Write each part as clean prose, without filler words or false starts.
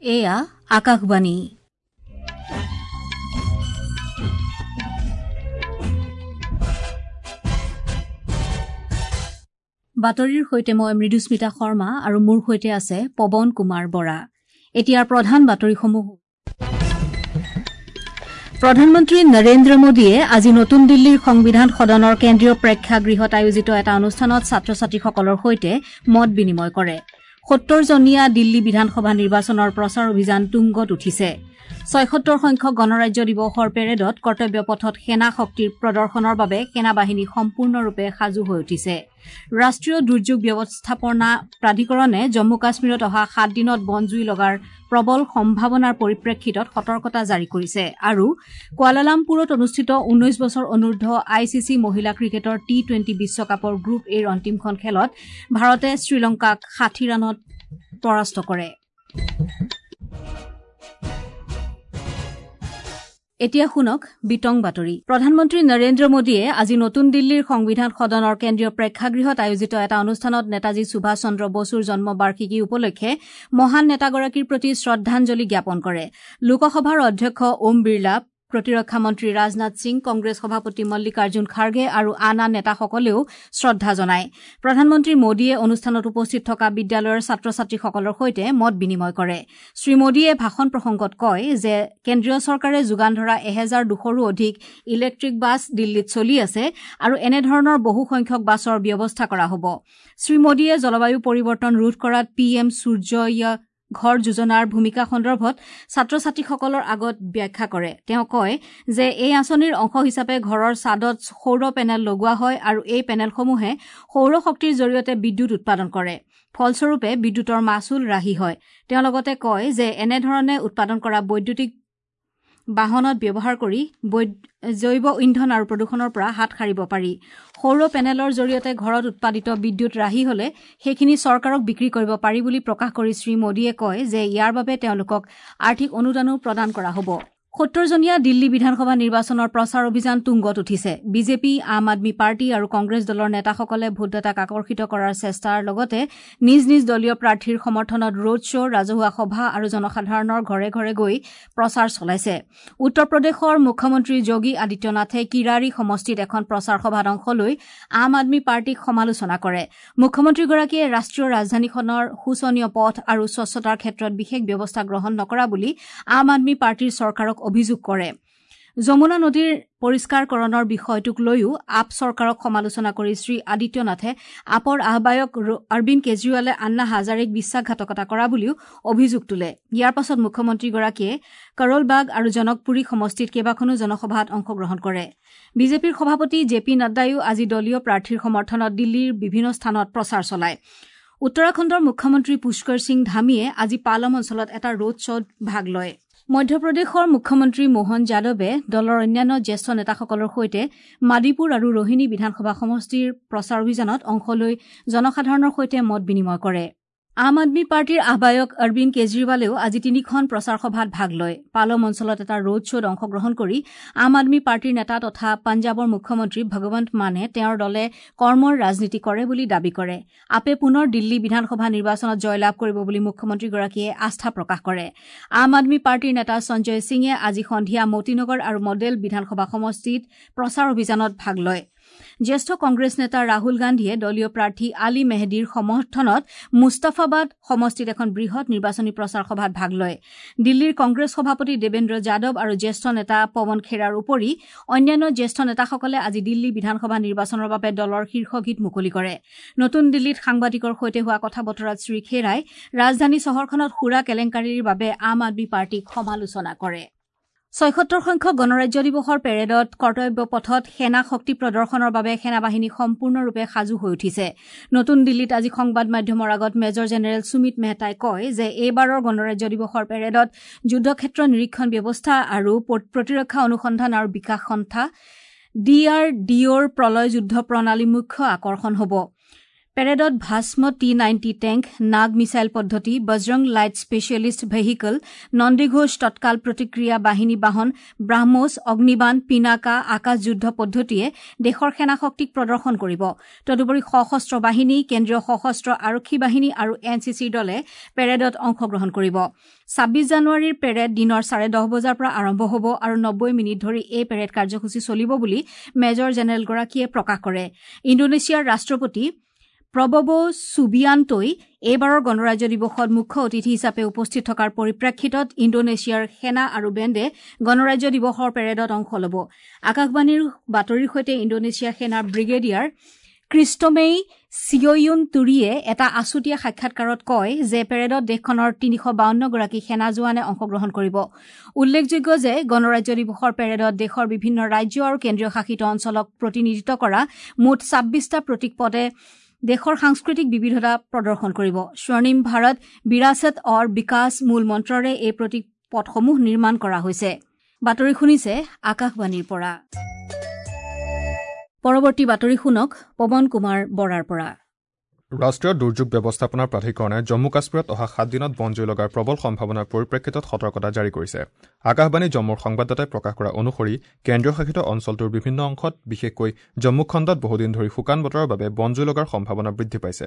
এয়া আকাশবাণী। বাতৰিৰ সৈতে মই মৃদুস্মিতা শৰ্মা আৰু মোৰ সৈতে আছে পৱন কুমাৰ বৰা। এতিয়াৰ প্ৰধান বাতৰিসমূহ। প্ৰধানমন্ত্ৰী নৰেন্দ্ৰ মোদীয়ে আজি নতুন দিল্লীৰ সংবিধান সদনৰ কেন্দ্ৰীয় প্ৰেক্ষাগৃহত আয়োজিত এটা অনুষ্ঠানত ছাত্ৰ ছাত্ৰীসকলৰ সৈতে মত বিনিময় কৰে। ৭০জনীয়া দিল্লী বিধানসভা নিৰ্বাচনৰ প্ৰচাৰ অভিযান তুংগত উঠিছে। ৭৬ সংখ্যক গণৰাজ্য দিৱসৰ পেৰেডত কৰ্তব্য পথত সেনা শক্তিৰ প্ৰদৰ্শনৰ বাবে সেনাবাহিনী সম্পূৰ্ণৰূপে সাজু হৈ উঠিছে। ৰাষ্ট্ৰীয় দুৰ্যোগ ব্যৱস্থাপনা প্ৰাধিকৰণে জম্মু কাশ্মীৰত অহা ৭ দিনত বনজুই লগাৰ প্ৰবল সম্ভাৱনাৰ পৰিপ্ৰেক্ষিতত সতৰ্কতা জাৰি কৰিছে। আৰু কুৱালালামপুৰত অনুষ্ঠিত ১৯ বছৰ অনুৰ্ধ I C C মহিলা ক্ৰিকেটৰ টি-টুৱেণ্টি বিশ্বকাপৰ গ্ৰুপ এৰ অন্তিমখন খেলত ভাৰতে শ্ৰীলংকাক ৬০ ৰানত পৰাস্ত কৰে। এতিয়া শুনক বিতং বাতৰি। প্ৰধানমন্ত্ৰী নৰেন্দ্ৰ মোদীয়ে আজি নতুন দিল্লীৰ সংবিধান সদনৰ কেন্দ্ৰীয় প্ৰেক্ষাগৃহত আয়োজিত এটা অনুষ্ঠানত নেতাজী সুভাষ চন্দ্ৰ বসুৰ জন্ম বাৰ্ষিকী উপলক্ষে মহান নেতাগৰাকীৰ প্ৰতি শ্ৰদ্ধাঞ্জলি জ্ঞাপন কৰে। লোকসভাৰ অধ্যক্ষ ওম বিৰলা, প্ৰতিৰক্ষা মন্ত্ৰী ৰাজনাথ সিং, কংগ্ৰেছ সভাপতি মল্লিকাৰ্জুন খাৰ্গে আৰু আন আন নেতাসকলেও শ্ৰদ্ধা জনায়। প্ৰধানমন্ত্ৰী মোদীয়ে অনুষ্ঠানত উপস্থিত থকা বিদ্যালয়ৰ ছাত্ৰ ছাত্ৰীসকলৰ সৈতে মত বিনিময় কৰে। শ্ৰীমোদীয়ে ভাষণ প্ৰসংগত কয় যে কেন্দ্ৰীয় চৰকাৰে যোগান ধৰা ১২০০ৰো অধিক ইলেক্ট্ৰিক বাছ দিল্লীত চলি আছে আৰু এনেধৰণৰ বহু সংখ্যক বাছৰ ব্যৱস্থা কৰা হ'ব। শ্ৰীমোদীয়ে জলবায়ু পৰিৱৰ্তন ৰোধ কৰাত পি এম সূৰ্য ঘৰ যোজনাৰ ভূমিকা সন্দৰ্ভত ছাত্ৰ ছাত্ৰীসকলৰ আগত ব্যাখ্যা কৰে। তেওঁ কয় যে এই আঁচনিৰ অংশ হিচাপে ঘৰৰ ছাদত সৌৰ পেনেল লগোৱা হয় আৰু এই পেনেলসমূহে সৌৰ শক্তিৰ জৰিয়তে বিদ্যুৎ উৎপাদন কৰে। ফলস্বৰূপে বিদ্যুতৰ মাচুল ৰাহি হয়। তেওঁ লগতে কয় যে এনেধৰণে উৎপাদন কৰা বৈদ্যুতিক বাহনত ব্যৱহাৰ কৰি জৈৱ ইন্ধন আৰু প্ৰদূষণৰ পৰা হাত সাৰিব পাৰি। সৌৰ পেনেলৰ জৰিয়তে ঘৰত উৎপাদিত বিদ্যুৎ ৰাহি হলে সেইখিনি চৰকাৰক বিক্ৰী কৰিব পাৰি বুলি প্ৰকাশ কৰি শ্ৰীমোদীয়ে কয় যে ইয়াৰ বাবে তেওঁলোকক আৰ্থিক অনুদানো প্ৰদান কৰা হ'ব। ৭০জনীয়া দিল্লী বিধানসভা নিৰ্বাচনৰ প্ৰচাৰ অভিযান তুংগত উঠিছে। বিজেপি, আম আদমী পাৰ্টি আৰু কংগ্ৰেছ দলৰ নেতাসকলে ভোটদাতাক আকৰ্ষিত কৰাৰ চেষ্টাৰ লগতে নিজ নিজ দলীয় প্ৰাৰ্থীৰ সমৰ্থনত ৰোড শ্ব', ৰাজহুৱা সভা আৰু জনসাধাৰণৰ ঘৰে ঘৰে গৈ প্ৰচাৰ চলাইছে। উত্তৰ প্ৰদেশৰ মুখ্যমন্ত্ৰী যোগী আদিত্যনাথে কিৰাৰী সমষ্টিত এখন প্ৰচাৰ সভাত অংশ লৈ আম আদমী পাৰ্টীক সমালোচনা কৰে। মুখ্যমন্ত্ৰীগৰাকীয়ে ৰাষ্ট্ৰীয় ৰাজধানীখনৰ শোচনীয় পথ আৰু স্বচ্ছতাৰ ক্ষেত্ৰত বিশেষ ব্যৱস্থা গ্ৰহণ নকৰা বুলি আম আদমী পাৰ্টীৰ চৰকাৰক অভিযোগ কৰে। যমুনা নদীৰ পৰিষ্কাৰকৰণৰ বিষয়টোক লৈও আপ চৰকাৰক সমালোচনা কৰি শ্ৰী আদিত্যনাথে আপৰ আহ্বায়ক অৰবিন্দ কেজৰিৱালে আন্না হাজাৰেক বিশ্বাসঘাতকতা কৰা বুলিও অভিযোগ তোলে। ইয়াৰ পাছত মুখ্যমন্ত্ৰীগৰাকীয়ে কৰলবাগ আৰু জনকপুৰী সমষ্টিত কেইবাখনো জনসভাত অংশগ্ৰহণ কৰে। বিজেপিৰ সভাপতি জে পি নাড্ডায়ো আজি দলীয় প্ৰাৰ্থীৰ সমৰ্থনত দিল্লীৰ বিভিন্ন স্থানত প্ৰচাৰ চলায়। উত্তৰাখণ্ডৰ মুখ্যমন্ত্ৰী পুষ্কৰ সিং ধামীয়ে আজি পালম অঞ্চলত এটা ৰোড শ্ব'ত ভাগ লয়। মধ্যপ্ৰদেশৰ মুখ্যমন্ত্ৰী মোহন যাদৱে দলৰ অন্যান্য জ্যেষ্ঠ নেতাসকলৰ সৈতে মাদিপুৰ আৰু ৰোহিণী বিধানসভা সমষ্টিৰ প্ৰচাৰ অভিযানত অংশ লৈ জনসাধাৰণৰ সৈতে মত বিনিময় কৰে। আম আদমী পাৰ্টীৰ আহ্বায়ক অৰবিন্দ কেজৰিৱালেও আজি তিনিখন প্ৰচাৰ সভাত ভাগ লয়। পালম অঞ্চলত এটা ৰোড শ্ব'ত অংশগ্ৰহণ কৰি আম আদমী পাৰ্টীৰ নেতা তথা পাঞ্জাৱৰ মুখ্যমন্ত্ৰী ভগৱন্ত মানে তেওঁৰ দলে কৰ্মৰ ৰাজনীতি কৰে বুলি দাবী কৰে। আপে পুনৰ দিল্লী বিধানসভা নিৰ্বাচনত জয়লাভ কৰিব বুলি মুখ্যমন্ত্ৰীগৰাকীয়ে আস্থা প্ৰকাশ কৰে। আম আদমী পাৰ্টীৰ নেতা সঞ্জয় সিঙে আজি সন্ধিয়া মতিনগৰ আৰু মডেল বিধানসভা সমষ্টিত প্ৰচাৰ অভিযানত ভাগ লয়। জ্যেষ্ঠ কংগ্ৰেছ নেতা ৰাহুল গান্ধীয়ে দলীয় প্ৰাৰ্থী আলী মেহদীৰ সমৰ্থনত মুস্তাফাবাদ সমষ্টিত এখন বৃহৎ নিৰ্বাচনী প্ৰচাৰ সভাত ভাগ লয়। দিল্লীৰ কংগ্ৰেছ সভাপতি দেৱেন্দ্ৰ যাদৱ আৰু জ্যেষ্ঠ নেতা পৱন খেৰাৰ উপৰি অন্যান্য জ্যেষ্ঠ নেতাসকলে আজি দিল্লী বিধানসভা নিৰ্বাচনৰ বাবে দলৰ শীৰ্ষ গীত মুকলি কৰে। নতুন দিল্লীত সাংবাদিকৰ সৈতে হোৱা কথা বতৰাত শ্ৰীখেৰাই ৰাজধানী চহৰখনত সুৰা কেলেংকাৰীৰ বাবে আম আদমী পাৰ্টীক সমালোচনা কৰে। ৭৬ সংখ্যক গণৰাজ্য দিৱসৰ পেৰেডত কৰ্তব্য পথত সেনা শক্তি প্ৰদৰ্শনৰ বাবে সেনাবাহিনী সম্পূৰ্ণৰূপে সাজু হৈ উঠিছে। নতুন দিল্লীত আজি সংবাদ মাধ্যমৰ আগত মেজৰ জেনেৰেল সুমিত মেহতাই কয় যে এইবাৰৰ গণৰাজ্য দিৱসৰ পেৰেডত যুদ্ধক্ষেত্ৰ নিৰীক্ষণ ব্যৱস্থা আৰু প্ৰতিৰক্ষা অনুসন্ধান আৰু বিকাশ সন্থা ডি আৰ ডি অ'ৰ প্ৰলয় যুদ্ধ প্ৰণালী মুখ্য আকৰ্ষণ হ'ব। পেৰেডত Bhasma T-90 tank, Nag missile পদ্ধতি, Bajrang light specialist vehicle, Nandighosh তৎকাল প্ৰতিক্ৰিয়া বাহিনী বাহন, ব্ৰাহ্মোছ, অগ্নিবাণ, পিনাকা, আকাশ যুদ্ধ পদ্ধতিয়ে দেশৰ সেনা শক্তিক প্ৰদৰ্শন কৰিব। তদুপৰি সশস্ত্ৰ বাহিনী, কেন্দ্ৰীয় সশস্ত্ৰ আৰক্ষী বাহিনী আৰু এন চি চিৰ দলে পেৰেডত অংশগ্ৰহণ কৰিব। 26 জানুৱাৰীৰ পেৰেড দিনৰ 10:30 বজাৰ পৰা আৰম্ভ হ'ব আৰু 90 মিনিট ধৰি এই পেৰেড কাৰ্যসূচী চলিব বুলি মেজৰ জেনেৰেলগৰাকীয়ে প্ৰকাশ কৰে। ইণ্ডোনেছিয়াৰ ৰাষ্ট্ৰপতি প্ৰবব ছুবিয়ান্তই এইবাৰৰ গণৰাজ্য দিৱসত মুখ্য অতিথি হিচাপে উপস্থিত থকাৰ পৰিপ্ৰেক্ষিতত ইণ্ডোনেছিয়াৰ সেনা আৰু বেণ্ডে গণৰাজ্য দিৱসৰ পেৰেডত অংশ ল'ব। আকাশবাণীৰ বাতৰিৰ সৈতে ইণ্ডোনেছিয়া সেনাৰ ব্ৰিগেডিয়াৰ ক্ৰিষ্টমেই চিয়য়ুন তুৰিয়ে এটা আছুতীয়া সাক্ষাৎকাৰত কয় যে পেৰেডত দেশখনৰ 352 গৰাকী সেনা জোৱানে অংশগ্ৰহণ কৰিব। উল্লেখযোগ্য যে গণৰাজ্য দিৱসৰ পেৰেডত দেশৰ বিভিন্ন ৰাজ্য আৰু কেন্দ্ৰীয় শাসিত অঞ্চলক প্ৰতিনিধিত্ব কৰা মুঠ 26টা প্ৰতীক পদে দেশৰ সাংস্কৃতিক বিবিধতা প্ৰদৰ্শন কৰিব। স্বৰ্ণিম ভাৰত, বিৰাচত অৰ বিকাশ মূল মন্ত্ৰৰে এই প্ৰতীক পথসমূহ নিৰ্মাণ কৰা হৈছে। বাতৰি শুনিছে আকাশবাণীৰ পৰা। পৰৱৰ্তী বাতৰি শুনক পৱন কুমাৰ বৰাৰ পৰা। ৰাষ্ট্ৰীয় দুৰ্যোগ ব্যৱস্থাপনা প্ৰাধিকৰণে জম্মু কাশ্মীৰত অহা 7 দিনত বনজুই লগাৰ প্ৰবল সম্ভাৱনাৰ পৰিপ্ৰেক্ষিতত সতৰ্কতা জাৰি কৰিছে। আকাশবাণী জম্মুৰ সংবাদদাতাই প্ৰকাশ কৰা অনুসৰি কেন্দ্ৰীয় শাসিত অঞ্চলটোৰ বিভিন্ন অংশত, বিশেষকৈ জম্মু খণ্ডত বহুদিন ধৰি শুকান বতৰৰ বাবে বনজুই লগাৰ সম্ভাৱনা বৃদ্ধি পাইছে।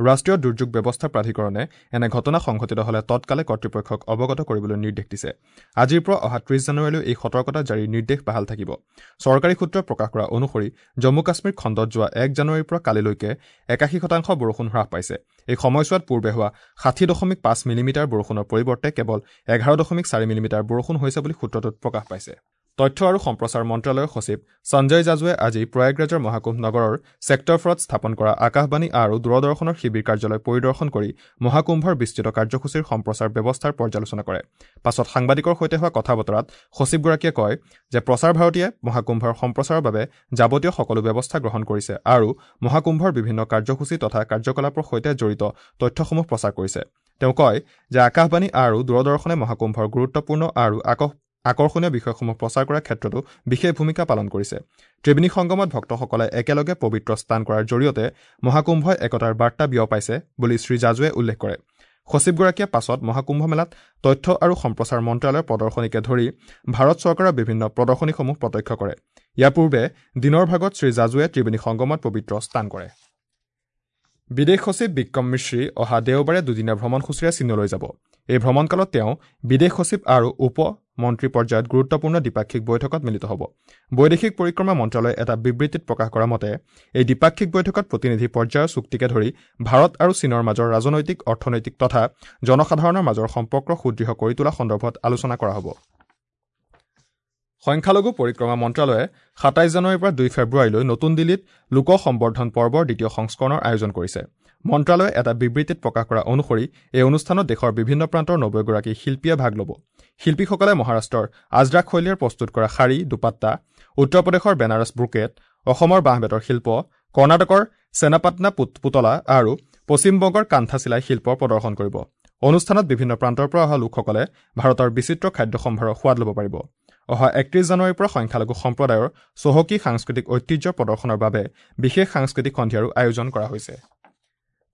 ৰাষ্ট্ৰীয় দুৰ্যোগ ব্যৱস্থা প্ৰাধিকৰণে এনে ঘটনা সংঘটিত হ'লে তৎকালে কৰ্তৃপক্ষক অৱগত কৰিবলৈ নিৰ্দেশ দিছে। আজিৰ পৰা অহা 30 জানুৱাৰীলৈ এই সতৰ্কতা জাৰিৰ নিৰ্দেশ বাহাল থাকিব। চৰকাৰী সূত্ৰই প্ৰকাশ কৰা অনুসৰি জম্মু কাশ্মীৰ খণ্ডত যোৱা 1 জানুৱাৰীৰ পৰা কালিলৈকে 81% বৰষুণ হ্ৰাস পাইছে। এই সময়ছোৱাত পূৰ্বে হোৱা 60.5 মিলিমিটাৰ বৰষুণৰ পৰিৱৰ্তে কেৱল 11.4 মিলিমিটাৰ বৰষুণ হৈছে বুলি সূত্ৰটোত প্ৰকাশ পাইছে। তথ্য আৰু সম্প্ৰচাৰ মন্ত্ৰালয়ৰ সচিব সঞ্জয় জাজুৱে আজি প্ৰয়াগৰাজৰ মহাকুম্ভ নগৰৰ ছেক্টৰ ফৰত স্থাপন কৰা আকাশবাণী আৰু দূৰদৰ্শনৰ শিবিৰ কাৰ্যালয় পৰিদৰ্শন কৰি মহাকুম্ভৰ বিস্তৃত কাৰ্যসূচীৰ সম্প্ৰচাৰ ব্যৱস্থাৰ পৰ্যালোচনা কৰে। পাছত সাংবাদিকৰ সৈতে হোৱা কথা বতৰাত সচিবগৰাকীয়ে কয় যে প্ৰচাৰ ভাৰতীয়ে মহাকুম্ভৰ সম্প্ৰচাৰৰ বাবে যাৱতীয় সকলো ব্যৱস্থা গ্ৰহণ কৰিছে আৰু মহাকুম্ভৰ বিভিন্ন কাৰ্যসূচী তথা কাৰ্যকলাপৰ সৈতে জড়িত তথ্যসমূহ প্ৰচাৰ কৰিছে। তেওঁ কয় যে আকাশবাণী আৰু দূৰদৰ্শনে মহাকুম্ভৰ গুৰুত্বপূৰ্ণ আৰু আকৰ্ষণীয় বিষয়সমূহ প্ৰচাৰ কৰাৰ ক্ষেত্ৰতো বিশেষ ভূমিকা পালন কৰিছে। ত্ৰিবেণী সংগমত ভক্তসকলে একেলগে পবিত্ৰ স্নান কৰাৰ জৰিয়তে মহাকুম্ভই একতাৰ বাৰ্তা বিয়পাইছে বুলি শ্ৰীজাজুৱে উল্লেখ কৰে। সচিবগৰাকীয়ে পাছত মহাকুম্ভ মেলাত তথ্য আৰু সম্প্ৰচাৰ মন্ত্ৰালয়ৰ প্ৰদৰ্শনীকে ধৰি ভাৰত চৰকাৰৰ বিভিন্ন প্ৰদৰ্শনীসমূহ প্ৰত্যক্ষ কৰে। ইয়াৰ পূৰ্বে দিনৰ ভাগত শ্ৰীজাজুৱে ত্ৰিবেণী সংগমত পবিত্ৰ স্নান কৰে। বিদেশ সচিব বিক্ৰম মিশ্ৰী অহা দেওবাৰে দুদিনীয়া ভ্ৰমণসূচীৰে চীনলৈ যাব। এই ভ্ৰমণকালত তেওঁ বিদেশ সচিব আৰু উপ মন্ত্ৰী পৰ্যায়ত গুৰুত্বপূৰ্ণ দ্বিপাক্ষিক বৈঠকত মিলিত হ'ব। বৈদেশিক পৰিক্ৰমা মন্ত্ৰালয়ে এটা বিবৃতিত প্ৰকাশ কৰা মতে এই দ্বিপাক্ষিক বৈঠকত প্ৰতিনিধি পৰ্যায়ৰ চুক্তিকে ধৰি ভাৰত আৰু চীনৰ মাজৰ ৰাজনৈতিক, অৰ্থনৈতিক তথা জনসাধাৰণৰ মাজৰ সম্পৰ্ক সুদৃঢ় কৰি তোলা সন্দৰ্ভত আলোচনা কৰা হ'ব। সংখ্যালঘু পৰিক্ৰমা মন্ত্ৰালয়ে 27 জানুৱাৰীৰ পৰা 2 ফেব্ৰুৱাৰীলৈ নতুন দিল্লীত লোক সম্বৰ্ধন পৰ্বৰ দ্বিতীয় সংস্কৰণৰ আয়োজন কৰিছে। মন্ত্ৰালয়ে এটা বিবৃতিত প্ৰকাশ কৰা অনুসৰি এই অনুষ্ঠানত দেশৰ বিভিন্ন প্ৰান্তৰ 90 গৰাকী শিল্পীয়ে ভাগ ল'ব। শিল্পীসকলে মহাৰাষ্ট্ৰৰ আজৰাক শৈলীৰ প্ৰস্তুত কৰা শাৰী, দুপাট্টা, উত্তৰ প্ৰদেশৰ বেনাৰস ব্ৰুকেট, অসমৰ বাঁহ বেতৰ শিল্প, কৰ্ণাটকৰ চেনাপাটনা পুতলা আৰু পশ্চিমবংগৰ কান্থা চিলাই শিল্প প্ৰদৰ্শন কৰিব। অনুষ্ঠানত বিভিন্ন প্ৰান্তৰ পৰা অহা লোকসকলে ভাৰতৰ বিচিত্ৰ খাদ্য সম্ভাৰৰ সোৱাদ ল'ব পাৰিব। অহা 31 জানুৱাৰীৰ পৰা সংখ্যালঘু সম্প্ৰদায়ৰ চহকী সাংস্কৃতিক ঐতিহ্য প্ৰদৰ্শনৰ বাবে বিশেষ সাংস্কৃতিক সন্ধিয়াৰো আয়োজন কৰা হৈছে।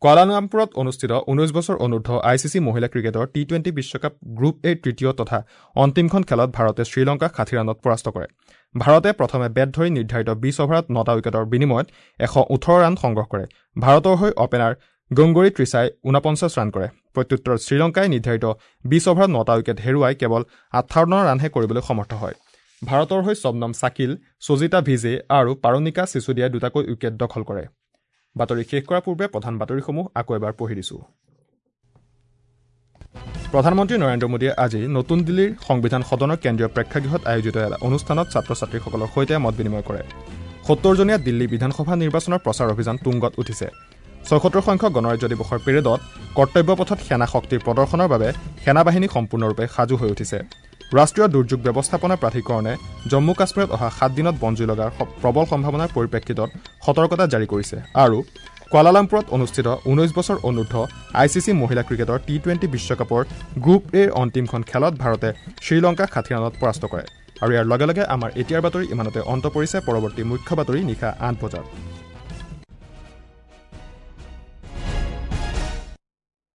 কুৱালালামপুৰত অনুষ্ঠিত 19 বছৰ অনুৰ্ধ I C C মহিলা ক্ৰিকেটৰ টি-20 বিশ্বকাপ গ্ৰুপ এৰ তৃতীয় তথা অন্তিমখন খেলত ভাৰতে শ্ৰীলংকাক 60 ৰানত পৰাস্ত কৰে। ভাৰতে প্ৰথমে বেট ধৰি নিৰ্ধাৰিত 20 অভাৰত 9টা উইকেটৰ বিনিময়ত 118 ৰান সংগ্ৰহ কৰে। ভাৰতৰ হৈ অপেনাৰ গংগৰী ত্ৰিছাই 49 ৰান কৰে। প্ৰত্যুত্তৰত শ্ৰীলংকাই নিৰ্ধাৰিত 20 অভাৰত 9টা উইকেট হেৰুৱাই কেৱল 58 ৰানহে কৰিবলৈ সমৰ্থ হয়। ভাৰতৰ হৈ শবনম চাকিল, সজিতা ভিজে আৰু পাৰোনিকা চিচুদিয়াই দুটাকৈ উইকেট দখল কৰে। বাতৰি শেষ কৰাৰ পূৰ্বে প্ৰধান বাতৰিসমূহ আকৌ এবাৰ পঢ়ি দিছোঁ। প্ৰধানমন্ত্ৰী নৰেন্দ্ৰ মোদীয়ে আজি নতুন দিল্লীৰ সংবিধান সদনৰ কেন্দ্ৰীয় প্ৰেক্ষাগৃহত আয়োজিত এটা অনুষ্ঠানত ছাত্ৰ ছাত্ৰীসকলৰ সৈতে মত বিনিময় কৰে। 70জনীয়া দিল্লী বিধানসভা নিৰ্বাচনৰ প্ৰচাৰ অভিযান তুংগত উঠিছে। 76 সংখ্যক গণৰাজ্য দিৱসৰ পেৰেডত কৰ্তব্য পথত সেনা শক্তিৰ প্ৰদৰ্শনৰ বাবে সেনাবাহিনী সম্পূৰ্ণৰূপে সাজু হৈ উঠিছে। ৰাষ্ট্ৰীয় দুৰ্যোগ ব্যৱস্থাপনা প্ৰাধিকৰণে জম্মু কাশ্মীৰত অহা 7 দিনত বনজুই লগাৰ প্ৰবল সম্ভাৱনাৰ পৰিপ্ৰেক্ষিতত সতৰ্কতা জাৰি কৰিছে। আৰু কুৱালালামপুৰত অনুষ্ঠিত 19 বছৰ অনুৰ্ধ I C C মহিলা ক্ৰিকেটৰ টি-20 বিশ্বকাপৰ গ্ৰুপ এৰ অন্তিমখন খেলত ভাৰতে শ্ৰীলংকাক 60 ৰানত পৰাস্ত কৰে। আৰু ইয়াৰ লগে লগে আমাৰ এতিয়াৰ বাতৰি ইমানতে অন্ত পৰিছে। পৰৱৰ্তী মুখ্য বাতৰি নিশা 8 বজাত।